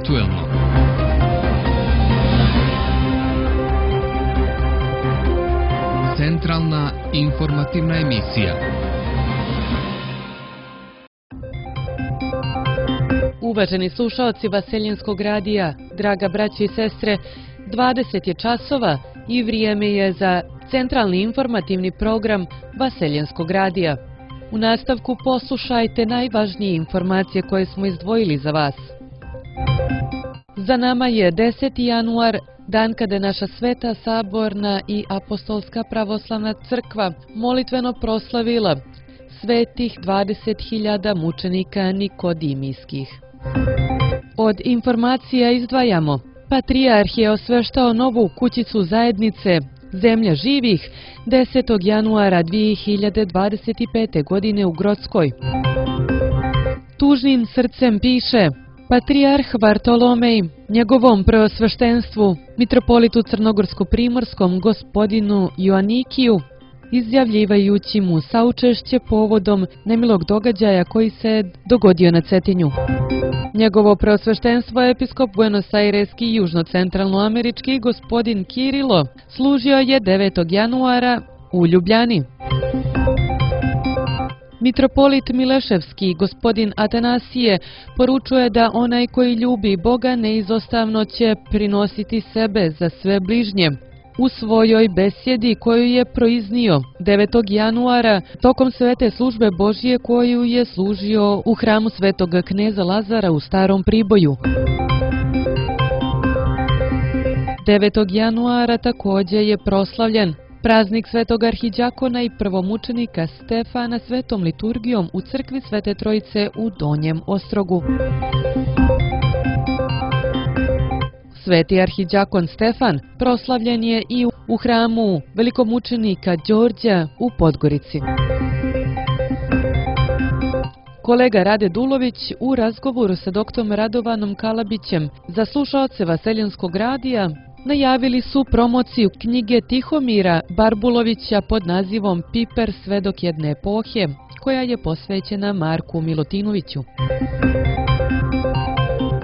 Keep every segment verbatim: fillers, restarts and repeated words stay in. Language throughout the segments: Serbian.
aktuelno. Centralna informativna emisija. Uvaženi slušaoci Vaseljenskog radija, draga braći i sestre, dvadeset je časova i vrijeme je za centralni informativni program Vaseljenskog radija. U nastavku poslušajte najvažnije informacije koje smo izdvojili za vas. Za nama je deseti januar, dan kada je naša Sveta Saborna i Apostolska pravoslavna crkva molitveno proslavila svetih dvadeset hiljada mučenika nikodimijskih. Od informacija izdvajamo: Patrijarh je osveštao novu kućicu zajednice Zemlja živih desetog januara dvije hiljade dvadeset pete. godine u Grockoj. Tužnim srcem piše Patrijarh Vartolomej njegovom preosveštenstvu, mitropolitu Crnogorsko-primorskom gospodinu Joanikiju, izjavljivajući mu saučešće povodom nemilog događaja koji se dogodio na Cetinju. Njegovo preosveštenstvo episkop Buenos Aireski i južno-centralnoamerički gospodin Kirilo služio je devetog januara u Ljubljani. Mitropolit Mileševski gospodin Atanasije poručuje da onaj koji ljubi Boga neizostavno će prinositi sebe za sve bližnje. U svojoj besjedi koju je proiznio devetog januara tokom svete službe Božje koju je služio u hramu svetog kneza Lazara u Starom Priboju. devetog januara također je proslavljen praznik svetog arhiđakona i prvomučenika Stefana svetom liturgijom u crkvi Svete Trojice u Donjem Ostrogu. Sveti arhiđakon Stefan proslavljen je i u hramu velikomučenika Đorđa u Podgorici. Kolega Rade Dulović u razgovoru sa doktorom Radovanom Kalabićem za slušaoce Vaseljenskog radija najavili su promociju knjige Tihomira Barbulovića pod nazivom Piper svedok jedne epohe, koja je posvećena Marku Milutinoviću.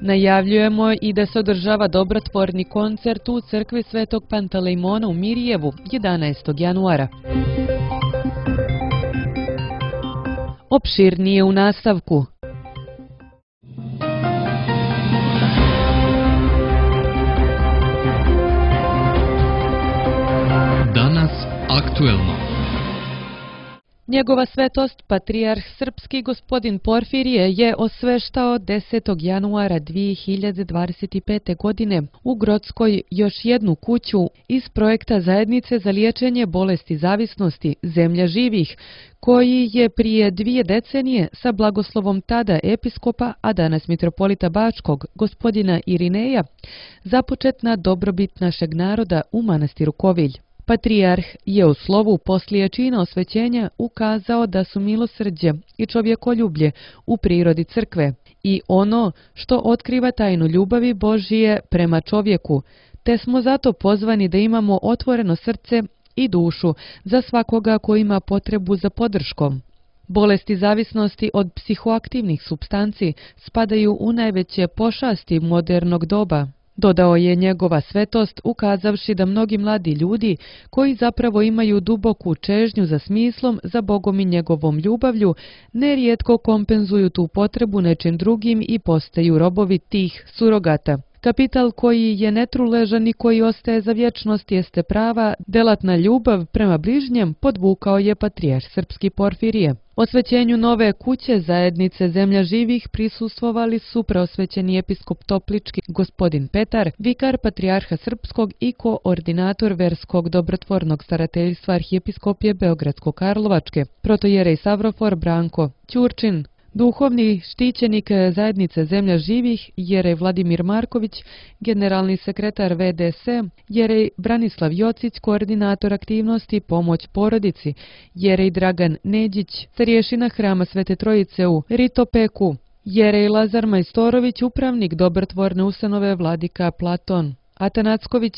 Najavljujemo i da se održava dobrotvorni koncert u crkvi Svetog Pantalejmona u Mirjevu jedanaestog januara. Opširnije u nastavku. Danas aktuelno. Njegova svetost, patrijarh srpski gospodin Porfirije, je osveštao desetog januara dvije hiljade dvadeset pete. godine u Grockoj još jednu kuću iz projekta Zajednice za liječenje bolesti zavisnosti Zemlja živih, koji je prije dvije decenije sa blagoslovom tada episkopa, a danas mitropolita Bačkog, gospodina Irineja, započet na dobrobit našeg naroda u manastiru Kovilj. Patrijarh je u slovu poslije čina osvećenja ukazao da su milosrđe i čovjekoljublje u prirodi crkve i ono što otkriva tajnu ljubavi Božije prema čovjeku, te smo zato pozvani da imamo otvoreno srce i dušu za svakoga ko ima potrebu za podrškom. Bolesti zavisnosti od psihoaktivnih supstanci spadaju u najveće pošasti modernog doba, dodao je njegova svetost, ukazavši da mnogi mladi ljudi koji zapravo imaju duboku čežnju za smislom, za Bogom i njegovom ljubavlju, nerijetko kompenzuju tu potrebu nečim drugim i postaju robovi tih surogata. Kapital koji je netruležan i koji ostaje za vječnost jeste prava, delatna ljubav prema bližnjem, podvukao je patrijarh srpski Porfirije. Osvećenju nove kuće Zajednice Zemlja živih prisustvovali su preosvećeni episkop Toplički gospodin Petar, vikar patrijarha srpskog i koordinator verskog dobrotvornog starateljstva arhijepiskopije Beogradsko-Karlovačke, protojerej Savrofor Branko Ćurčin, duhovni štićenik Zajednice Zemlja živih jerej Vladimir Marković, generalni sekretar V D S, jerej Branislav Jocić, koordinator aktivnosti Pomoć porodici, jerej Dragan Neđić, starješina Hrama Svete Trojice u Ritopeku, jerej Lazar Majstorović, upravnik dobrotvorne ustanove Vladika Platon Atanacković,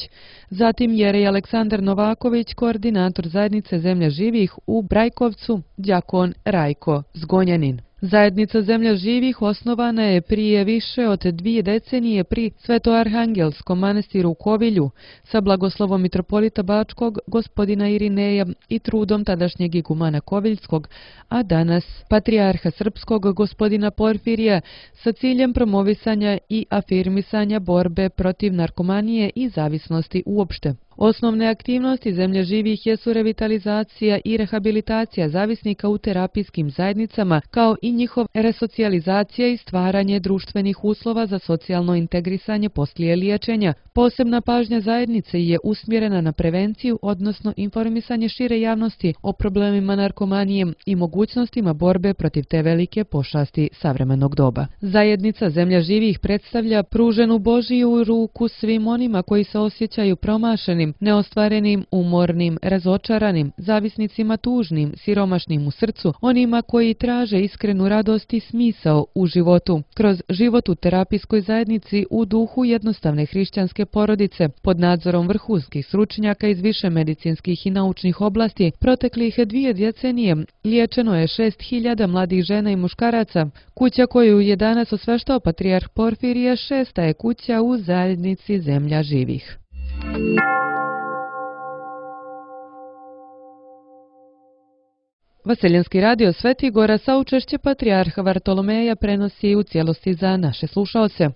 zatim jerej Aleksandar Novaković, koordinator Zajednice Zemlja živih u Brajkovcu, đakon Rajko Zgonjanin. Zajednica Zemlja živih osnovana je prije više od dvije decenije pri Svetoarhangelskom manastiru u Kovilju sa blagoslovom mitropolita Bačkog gospodina Irineja i trudom tadašnjeg igumana Koviljskog, a danas patrijarha srpskog gospodina Porfirija sa ciljem promovisanja i afirmisanja borbe protiv narkomanije i zavisnosti uopšte. Osnovne aktivnosti Zemlje živih jesu revitalizacija i rehabilitacija zavisnika u terapijskim zajednicama, kao i njihov resocijalizacija i stvaranje društvenih uslova za socijalno integrisanje poslije liječenja. Posebna pažnja zajednice je usmjerena na prevenciju, odnosno informisanje šire javnosti o problemima narkomanije i mogućnostima borbe protiv te velike pošasti savremenog doba. Zajednica Zemlja živih predstavlja pruženu Božiju ruku svim onima koji se osjećaju promašeni, neostvarenim, umornim, razočaranim, zavisnicima tužnim, siromašnim u srcu, onima koji traže iskrenu radost i smisao u životu. Kroz život u terapijskoj zajednici u duhu jednostavne hrišćanske porodice, pod nadzorom vrhunskih stručnjaka iz više medicinskih i naučnih oblasti, proteklih dvije decenije liječeno je šest hiljada mladih žena i muškaraca. Kuća koju je danas osveštao patrijarh Porfirije šesta je kuća u zajednici Zemlja živih. Vaseljenski radio Sveti Gora saučešće patrijarha Vartolomeja prenosi u cijelosti za naše slušaoce.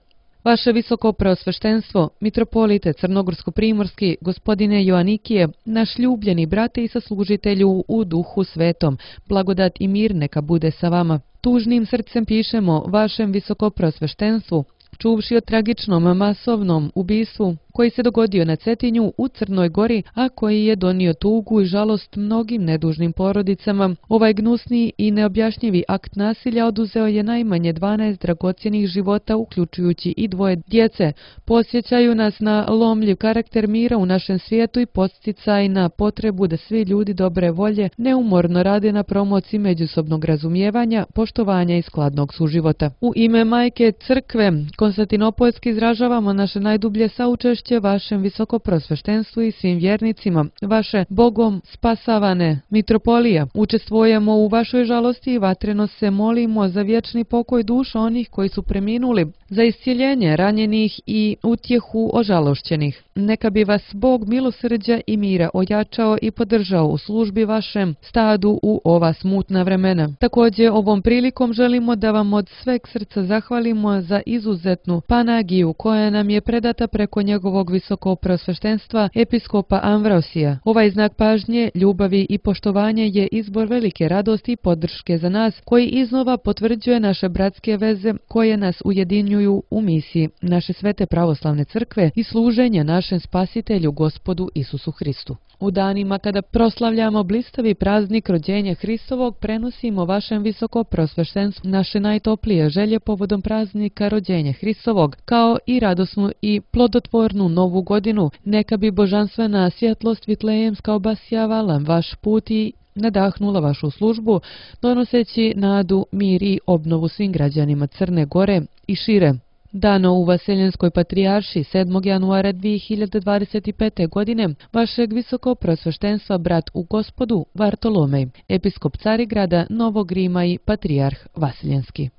Vaše visoko preosveštenstvo, mitropolite Crnogorsko-primorski, gospodine Joanikije, naš ljubljeni brate i saslužitelju u duhu svetom, blagodat i mir neka bude sa vama. Tužnim srcem pišemo vašem visoko preosveštenstvu, čuvši o tragičnom masovnom ubistvu koji se dogodio na Cetinju u Crnoj Gori, a koji je donio tugu i žalost mnogim nedužnim porodicama. Ovaj gnusni i neobjašnjivi akt nasilja oduzeo je najmanje dvanaest dragocjenih života, uključujući i dvoje djece. Podsjećaju nas na lomljiv karakter mira u našem svijetu i podsticaj na potrebu da svi ljudi dobre volje neumorno rade na promociji međusobnog razumijevanja, poštovanja i skladnog suživota. U ime Majke Crkve Konstantinopoljski izražavamo naše najdublje saučešće vašem visokoprosveštenstvu i svim vjernicima, vaše Bogom spasavane mitropolija. Učestvujemo u vašoj žalosti i vatreno se molimo za vječni pokoj duša onih koji su preminuli, za iscjeljenje ranjenih i utjehu ožalošćenih. Neka bi vas Bog milosrđa i mira ojačao i podržao u službi vašem stadu u ova smutna vremena. Također ovom prilikom želimo da vam od sveg srca zahvalimo za izuzetnu panagiju koja nam je predata preko njegovog visokoprosveštenstva episkopa Amvrosija. Ovaj znak pažnje, ljubavi i poštovanja je izbor velike radosti i podrške za nas, koji iznova potvrđuje naše bratske veze koje nas ujedinjuju u misiji naše svete pravoslavne crkve i služenja našem spasitelju Gospodu Isusu Hristu. U danima kada proslavljamo blistavi praznik rođenja Hristovog, prenosimo vašem visokoprosveštenstvu naše najtoplije želje povodom praznika rođenja Hristovog, kao i radosnu i plodotvornu novu godinu. Neka bi božanstvena svjetlost vitlejemska obasjavala vaš put i nadahnula vašu službu, donoseći nadu, mir i obnovu svim građanima Crne Gore i šire. Dano u Vaseljenskoj patrijarši sedmog januara dvije hiljade dvadeset pete. godine vašeg visokoprosveštenstva brat u Gospodu Vartolomej, episkop Carigrada, Novog Rima i patrijarh Vaseljenski.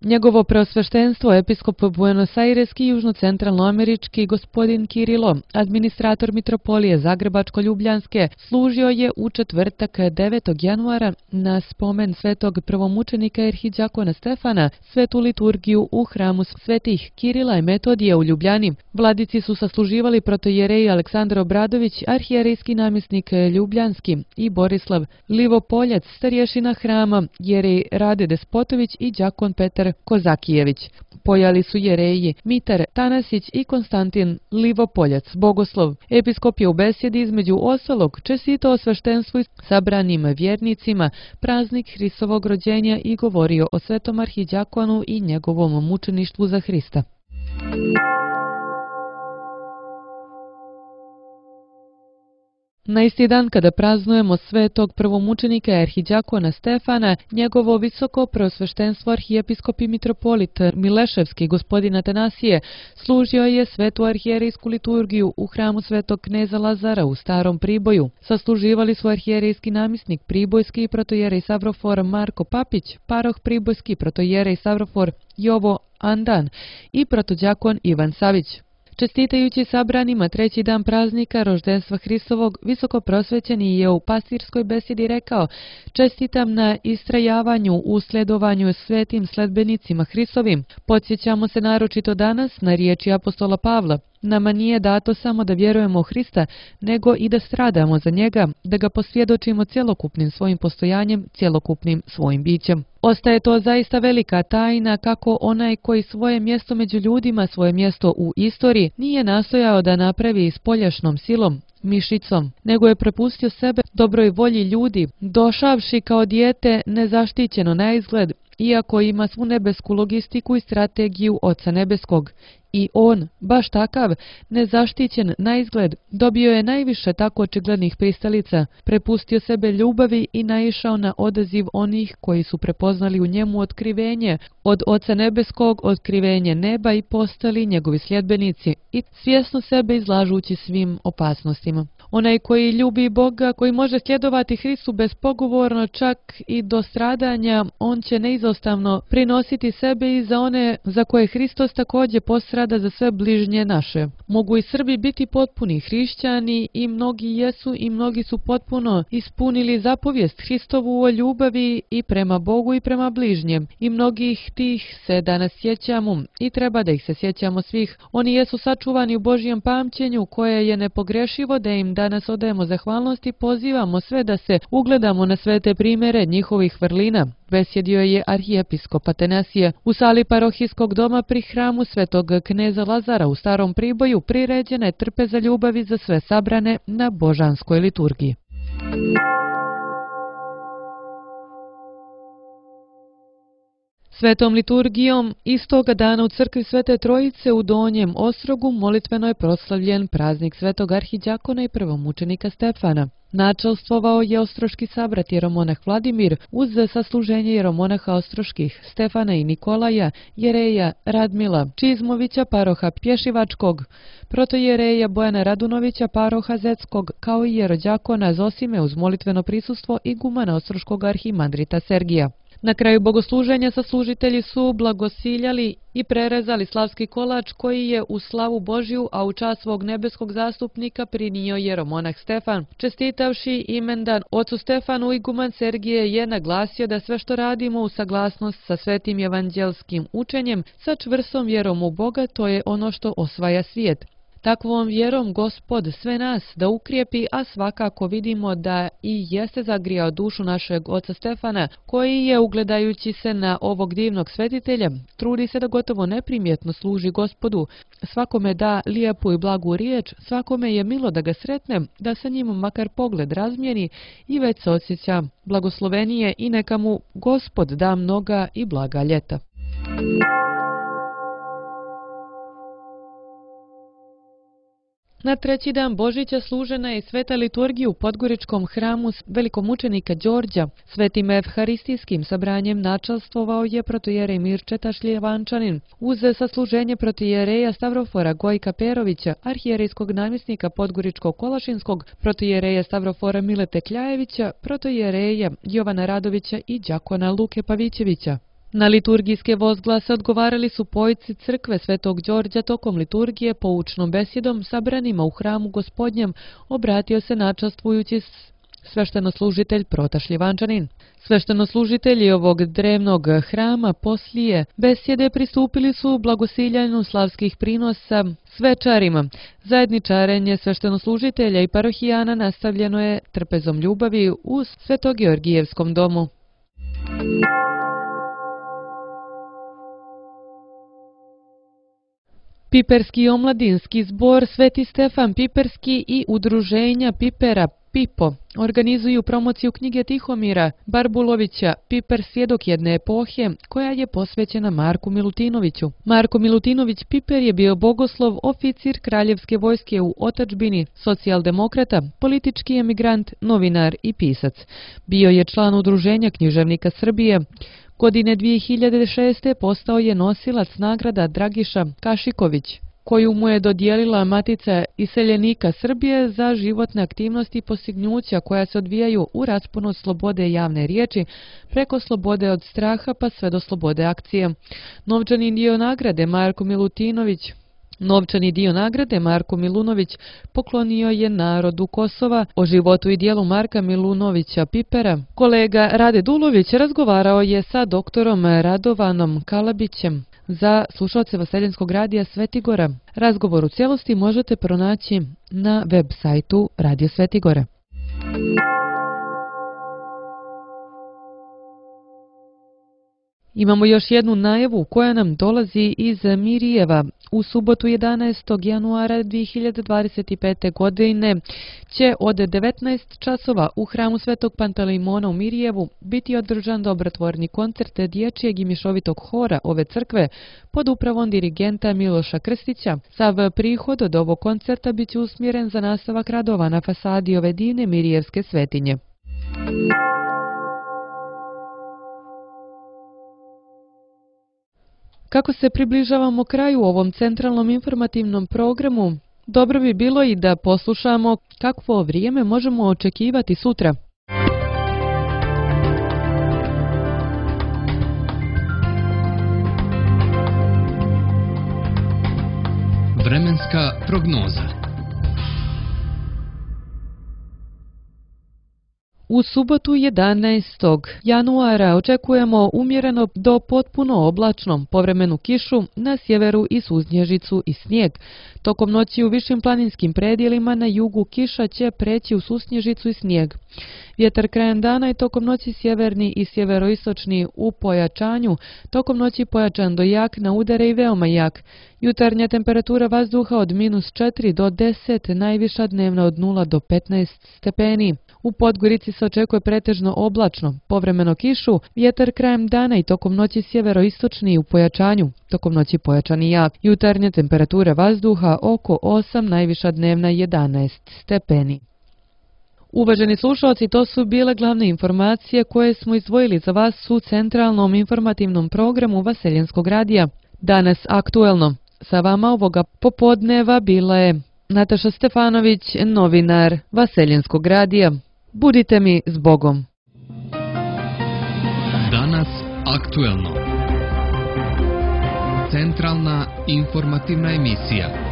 Njegovo preosveštenstvo, episkop Buenos Aireski i južno-centralnoamerički gospodin Kirilo, administrator mitropolije Zagrebačko-Ljubljanske, služio je u četvrtak devetog januara na spomen svetog prvomučenika arhidjakona Stefana svetu liturgiju u hramu svetih Kirila i Metodija u Ljubljani. Vladici su sasluživali protojereji Aleksandar Obradović, arhijerejski namjesnik Ljubljanski, i Borislav Livopoljac, starješina hrama, jerej Rade Despotović i đakon Petar Kozakijević. Pojali su jereji Mitar Tanasić i Konstantin Livopoljac, bogoslov. Episkop je u besjedi između ostalog čestitao sveštenstvu i sabranim vjernicima praznik Hristovog rođenja i govorio o svetom arhidjakonu i njegovom mučeništvu za Hrista. Na isti dan kada praznujemo svetog prvomučenika arhidjakona Stefana, njegovo visoko preosveštenstvo arhijepiskop i mitropolit Mileševski gospodin Atanasije služio je svetu arhijerejsku liturgiju u hramu svetog kneza Lazara u Starom Priboju. Sasluživali su arhijerejski namjesnik Pribojski protojerej Savrofor Marko Papić, paroh Pribojski protojerej Savrofor Jovo Andan i protodjakon Ivan Savić. Čestitajući sabranima treći dan praznika roždenstva Hristovog, visoko prosvećeni je u pastirskoj besedi rekao: "Čestitam na istrajavanju u sledovanju svetim sledbenicima Hristovim. Podsjećamo se naročito danas na riječi apostola Pavla: Nama nije dato samo da vjerujemo u Hrista, nego i da stradamo za njega, da ga posvjedočimo cjelokupnim svojim postojanjem, cjelokupnim svojim bićem." Ostaje to zaista velika tajna kako onaj koji svoje mjesto među ljudima, svoje mjesto u istoriji, nije nastojao da napravi spoljašnom silom, mišicom, nego je prepustio sebe dobroj volji ljudi, došavši kao dijete nezaštićeno na izgled, iako ima svu nebesku logistiku i strategiju Oca nebeskog. I on, baš takav, nezaštićen na izgled, dobio je najviše tako očiglednih pristalica, prepustio sebe ljubavi i naišao na odaziv onih koji su prepoznali u njemu otkrivenje od Oca nebeskog, otkrivenje neba i postali njegovi sljedbenici, i svjesno sebe izlažući svim opasnostima. Onaj koji ljubi Boga, koji može sljedovati Hristu bespogovorno čak i do stradanja, on će neizostavno prinositi sebe i za one za koje Hristos također postrada za sve bližnje naše. Mogu i Srbi biti potpuni hrišćani i mnogi jesu i mnogi su potpuno ispunili zapovijest Hristovu o ljubavi i prema Bogu i prema bližnjem. I mnogih tih se danas sjećamo i treba da ih se sjećamo svih. Oni jesu sačuvani u Božjem pamćenju koje je nepogrešivo, da im danas odajemo zahvalnost i pozivamo sve da se ugledamo na svete primjere njihovih vrlina. Besjedio je arhijepiskop Atanasije u sali parohijskog doma pri hramu svetog kneza Lazara u Starom Priboju. Priređena je trpeza ljubavi za sve sabrane na božanskoj liturgiji. Svetom liturgijom istoga dana u crkvi Svete Trojice u Donjem Ostrogu molitveno je proslavljen praznik svetog arhidjakona i prvomučenika Stefana. Načelstvovao je ostroški sabrat jeromonah Vladimir uz sasluženje jeromonaha ostroških Stefana i Nikolaja, jereja Radmila Čizmovića, paroha Pješivačkog, protojereja Bojana Radunovića, paroha Zetskog, kao i jerođakona Zosime uz molitveno prisustvo igumana ostroškog arhimandrita Sergija. Na kraju bogosluženja saslužitelji su blagosiljali i prerezali slavski kolač koji je u slavu Božju, a u čast svog nebeskog zastupnika prinio jeromonah Stefan. Čestitavši imendan ocu Stefanu, iguman Sergije je naglasio da sve što radimo u saglasnost sa svetim evanđelskim učenjem, sa čvrstom vjerom u Boga, to je ono što osvaja svijet. Takvom vjerom Gospod sve nas da ukrijepi, a svakako vidimo da i jeste zagrijao dušu našeg oca Stefana, koji je, ugledajući se na ovog divnog svetitelja, trudi se da gotovo neprimjetno služi Gospodu. Svakome da lijepu i blagu riječ, svakome je milo da ga sretne, da sa njim makar pogled razmijeni i već se osjeća blagoslovenije i neka mu Gospod da mnoga i blaga ljeta. Na treći dan Božića služena je sveta liturgija u Podgoričkom hramu velikomučenika Đorđa. Svetim evharistijskim sabranjem načelstvovao je protojerej Mirčeta Šljevančanin uz sasluženje protojereja Stavrofora Gojka Perovića, arhijerejskog namjesnika Podgoričkog Kolašinskog, protojereja Stavrofora Milete Kljajevića, protojereja Jovana Radovića i đakona Luke Pavićevića. Na liturgijske vozglase odgovarali su pojci crkve Svetog Đorđa. Tokom liturgije poučnom besjedom sabranima u hramu Gospodnjem obratio se načastvujući sveštenoslužitelj Prota Šljivančanin. Sveštenoslužitelji ovog drevnog hrama poslije besjede pristupili su blagosiljanju slavskih prinosa svečarima. Zajedničarenje sveštenoslužitelja i parohijana nastavljeno je trpezom ljubavi u Svetogeorgijevskom domu. Piperski omladinski zbor Sveti Stefan Piperski i udruženja Pipera Pipo organizuju promociju knjige Tihomira Barbulovića Piper svjedok jedne epohe koja je posvećena Marku Milutinoviću. Marko Milutinović Piper je bio bogoslov, oficir kraljevske vojske u otadžbini, socijaldemokrata, politički emigrant, novinar i pisac. Bio je član Udruženja književnika Srbije. Godine dvije hiljade šeste. postao je nosilac nagrada Dragiša Kašiković, koju mu je dodijelila Matica iseljenika Srbije za životne aktivnosti i postignuća koja se odvijaju u rasponu od slobode javne riječi preko slobode od straha pa sve do slobode akcije. Novčani dio nagrade Marko Milutinović Novčani dio nagrade Marko Milunović poklonio je narodu Kosova. O životu i dijelu Marka Milunovića Pipera kolega Rade Dulović razgovarao je sa doktorom Radovanom Kalabićem za slušalce Vaseljenskog radija Svetigora. Razgovor u cijelosti možete pronaći na web sajtu Radio Svetigora. Imamo još jednu najavu koja nam dolazi iz Mirijeva. U subotu jedanaestog januara dvije hiljade dvadeset pete. godine će od devetnaest časova u hramu Svetog Pantelimona u Mirijevu biti održan dobrotvorni koncert dječjeg i mišovitog hora ove crkve pod upravom dirigenta Miloša Krstića. Sav prihod od ovog koncerta bit će usmjeren za nastavak radova na fasadi ove divne mirijevske svetinje. Kako se približavamo kraju ovom centralnom informativnom programu, dobro bi bilo i da poslušamo kakvo vrijeme možemo očekivati sutra. Vremenska prognoza. U subotu jedanaestog januara očekujemo umjereno do potpuno oblačno, povremenu kišu, na sjeveru i susnježicu i snijeg. Tokom noći u višim planinskim predjelima na jugu kiša će preći u susnježicu i snijeg. Vjetar krajem dana i tokom noći sjeverni i sjeveroistočni u pojačanju, tokom noći pojačan do jak, na udare i veoma jak. Jutarnja temperatura vazduha od minus četiri do deset, najviša dnevna od nula do petnaest stepeni. U Podgorici se očekuje pretežno oblačno, povremeno kišu, vjetar krajem dana i tokom noći sjeveroistočni u pojačanju, tokom noći pojačan i jak. Jutarnja temperatura vazduha oko osam, najviša dnevna jedanaest stepeni. Uvaženi slušalci, to su bile glavne informacije koje smo izdvojili za vas u centralnom informativnom programu Vaseljenskog radija. Danas aktuelno. Sa vama ovoga popodneva bila je Nataša Stefanović, novinar Vaseljenskog radija. Budite mi s Bogom. Danas aktuelno. Centralna informativna emisija.